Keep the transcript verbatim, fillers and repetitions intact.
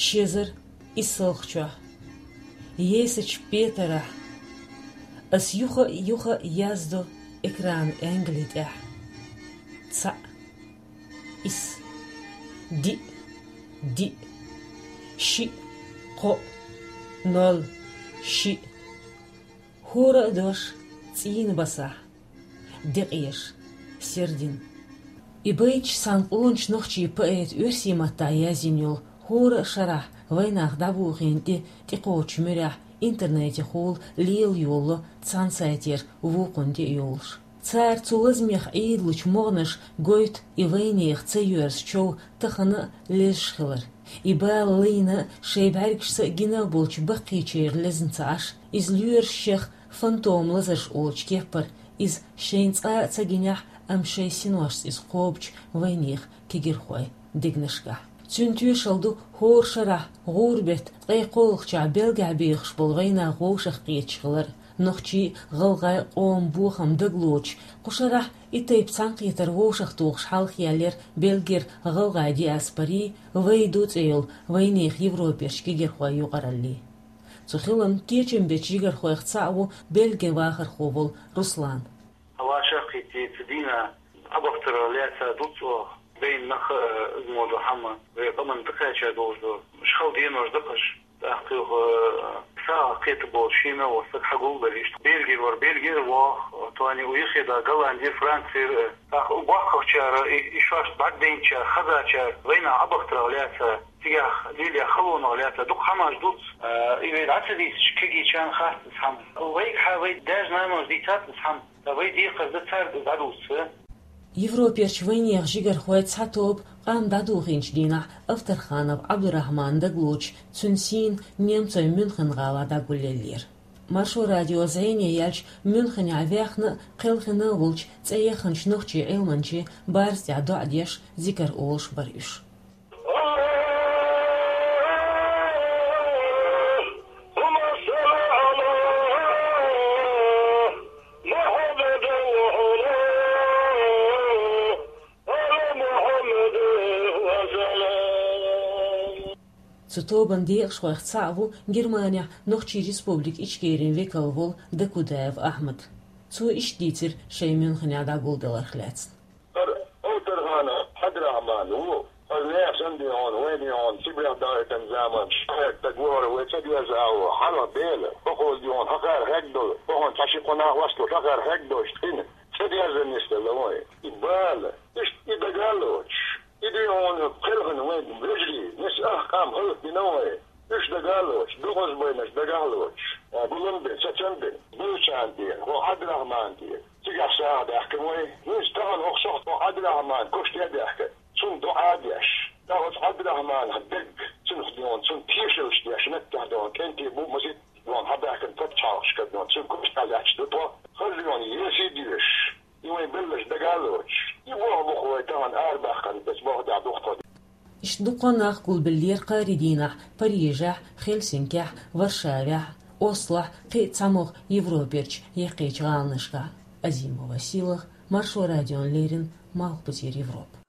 Ши эзар исс чохь, Есачу петарахь, ас юха а, юха а яздо экран англи тӀехь. Цхьаъ, исс, диъ, диъ, шиъ, кхоъ, ноль, шиъ. ХӀора а дош цӀийнан басахь, декъеш, сердина. И байташ цхьана къоначу нохчийн поэта оьрсийн маттахь язйина йолу, хӀора а шарахь вайнах дӀабохийна тӀе тӀекхочучу муьрехь интернетехула лела йолало цхьана сайтера вукхунна тӀе а йолуш. Цара цу лазамех Ӏийдалучу могӀанаш гойту и вайнехан ца йоьрзу чов тахана а лезаш хилар. И бала лайна а, шайн бӀаьргашца а гина а болчу баккхийчеран лезна ца Ӏаш, иза лоьраш шех фантом лазарш олучу кеппара, иза шайна цкъа а ца гинехь, амма шайн синошца иза кхобучу вайнехан кегирхойн дегнашкахь. Цуьнан тоьшалла ду хӀора шарахь гӀуран беттан ткъе кхоалгӀачохь Бельгехь бехаш болу вайнах вовшахкхеташ хилар. Нохчийн а, гӀалгӀайн а къоман бохам дагалоцуш, кху шарахь и тайпа цхьаьнакхетар вовшахтухуш хьалхаяьллера Бельгера гӀалгӀайн диаспорин «Вай ду» цӀе йолу вайнехан европерчу кегирхойн юкъараллин. Цу хиларна кечам бечу жигархойх цхьаъ ву Бельгин вахархо волу Руслан. Хьан ваша а кхийтта, цу дийнахь Ӏабахтарх лаьцна дуц оха, байна нах а, иза мо ду хьама, вай къаманна тӀекхаьчна долуш ду. Уьш хала денош ду-кх уьш. ТӀаккха юха сагӀа кхета болу шийна а волу стаг хьагулбелла иштта. Бельгера вара, Бельгера воху, тхуна юххе а Голландера, Францера, тӀаккха боккхагӀчара, и, и шоашца бӀаьрг дайначара, хазачара вайнах Ӏабахтарх лаьцна, цигахь лелаеш халонах лаьцна дукха хьамаш дуц. А, и вай дӀа ца дийцича, кегийчарна хац иза хьама. Вайгахьа вай даьш-наноша дийцац иза хьама. Ткъа вай декхар дан цаьрга дӀадуссу. Европерчу вайнехан жигархойн цхьа тоба къам дӀадохийначу дийнахь Авторханов Ӏабдурахьманна дагалоцуш, цуьнан сийна немцойн Мюнхен-гӀалахь дӀагулъеллера. Маршо радион зӀене яьлча, Мюнхенехь вехна а, кхелхина а волчу цӀе яханчу нохчийн Ӏилманчин барза тӀехь доӀа деш, зикар олуш бара уьш. Цу тобанан декъашхойх цхьаъ ву Германехь Нохчийн Республикин Ичкерин векал волу Дакудаев Ахьмад. Цо иштта дийцира шайн Мюнхенехь дӀагулдаларх лаьцна. ХӀара Авторханов Ӏабдурахьман ву. Хаза нехан санна дийхьона, вайн дийхьона, Сибрехь дахийтина заманчохь хьаьрча стаг ву хӀара, вай ца доьрзу агӀо, хьалха Дела, бакъо дийхьона, хьан кхара хьегна долу, бахана цхьа ши-кхо нах васталуш, хьан кхара хьегна долуш, тхина ца дерзар нисделла вайн. И бала, иштта и дага а лоцуш, и дийхьона кхелхина вайн вежарий, нис ах къам хӀаллакдина вайн. Уьш дага а лоцуш, дукхазбайнаш дагахь а лоцуш, гулам бен, сацам бен, Белчан тӀера, хӀо Ӏабдурахьман тӀера. Цигахь сагӀа даьккхина вай. ХӀинца тахана хӀокху сохьта хӀо Ӏабдурахьман куьште а даьхкина, цунна доӀа а деш, тӀаккха оцу Ӏабдурахьманах дерг, цунах дон, цунна тешаллаш деш, меттехь дон, кӀентий бу, масийтта дон, хьабаьхкина пачхьалкхашкара дон, цуьнан куьште лаьтташ ду тхо, хаза дон, еси а доьшуш, и вайн белларш дага а лоцуш, и болх бу-кх вай тахана арабаьккхина, эцу болх тӀехь ду-кх тхо. Иштта дуккха а нах гулбеллера кхаарин дийнахь Парижехь, Хельсинкехь, Варшавехь, Ослохь, кхин а цхьамогӀа Европерчу яккхийчу гӀаланашкахь. Азимова Сийлаха, Маршо радиона леррина, Малхбузера Европа.